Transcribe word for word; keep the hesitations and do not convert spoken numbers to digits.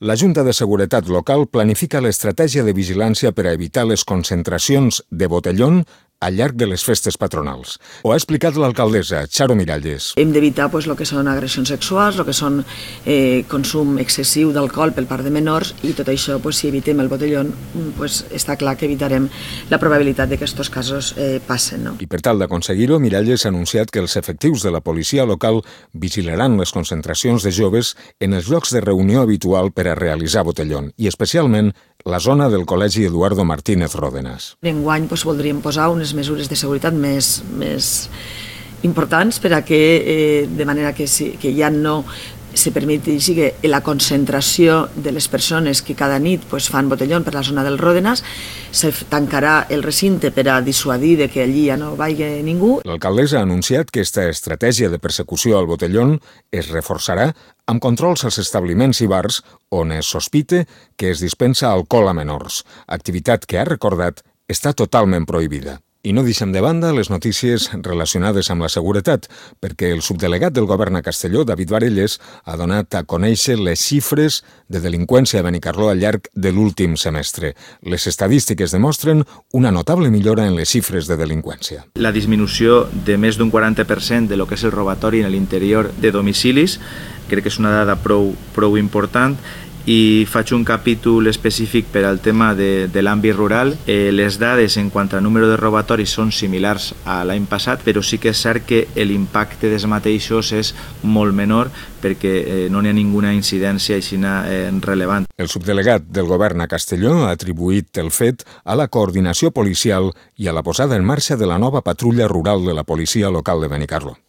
La Junta de Seguretat Local planifica l'estratègia de vigilància per a evitar les concentracions de botellón al llarg de les festes patronals. Ho ha explicat l'alcaldessa, Charo Miralles. Hem d'evitar pues, el que són agressions sexuals, el que són eh, consum excessiu d'alcohol per part de menors, i tot això, pues, si evitem el botellón, pues, està clar que evitarem la probabilitat de que aquests casos eh, passen. No? I per tal d'aconseguir-ho, Miralles ha anunciat que els efectius de la policia local vigilaran les concentracions de joves en els llocs de reunió habitual per a realitzar botellón, i especialment la zona del Col·legi Eduardo Martínez Ródenas. Enguany pues, voldríem posar unes mesures de seguretat més, més importants per a que, eh, de manera que, si, que ja no se permeti que la concentració de les persones que cada nit pues, fan botellón per la zona del Ródenas, se tancarà el recinte per a dissuadir de que allí ja no vagi ningú. L'alcaldessa ha anunciat que aquesta estratègia de persecució al botellón es reforçarà amb controls als establiments i bars on es sospite que es dispensa alcohol a menors, activitat que, ha recordat, està totalment prohibida. I no deixem de banda les notícies relacionades amb la seguretat, perquè el subdelegat del govern a Castelló, David Varelles, ha donat a conèixer les xifres de delinqüència a Benicarló al llarg de l'últim semestre. Les estadístiques demostren una notable millora en les xifres de delinqüència. La disminució de més d'un quaranta per cent de lo que és el robatori en l'interior de domicilis, crec que és una dada prou, prou important, i faig un capítol específic per al tema de, de l'àmbit rural. Eh, les dades en quant a número de robatoris són similars a l'any passat, però sí que és cert que l'impacte dels mateixos és molt menor perquè eh, no n'hi ha ninguna incidència així eh, rellevant. El subdelegat del govern a Castelló ha atribuït el fet a la coordinació policial i a la posada en marxa de la nova patrulla rural de la policia local de Benicarló.